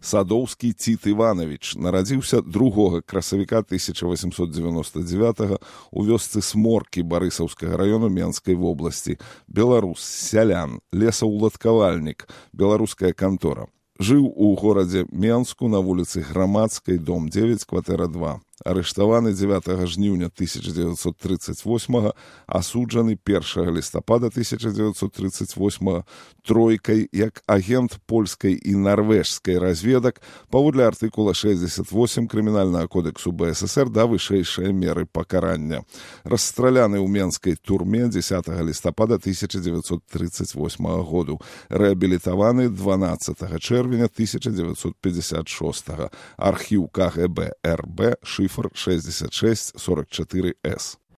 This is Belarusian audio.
Садоўскі Ціт Іванович нарадзіўся 2 красавіка 1899 у вёсцы Сморкі Барысаўскага раёну Менскай вобласці. Беларус, сялян, лесаўладкавальнік, беларуская кантора. Жыў у горадзе Менску на вуліцы Грамадскай, дом 9, кватэра 2. Арыштаваны 9 жніўня 1938, асуджаны 1 лістапада 1938 тройкай як агент польскай і нарвежскай разведак паводле артыкула 68 Крымінальнага кодексу БССР да вышэйшай меры пакарання. Расстраляны ў менскай турме 10 лістапада 1938 году. Рэабілітаваны 12 чэрвеня 1956. Архіў КГБ РБ, шифр 6644С.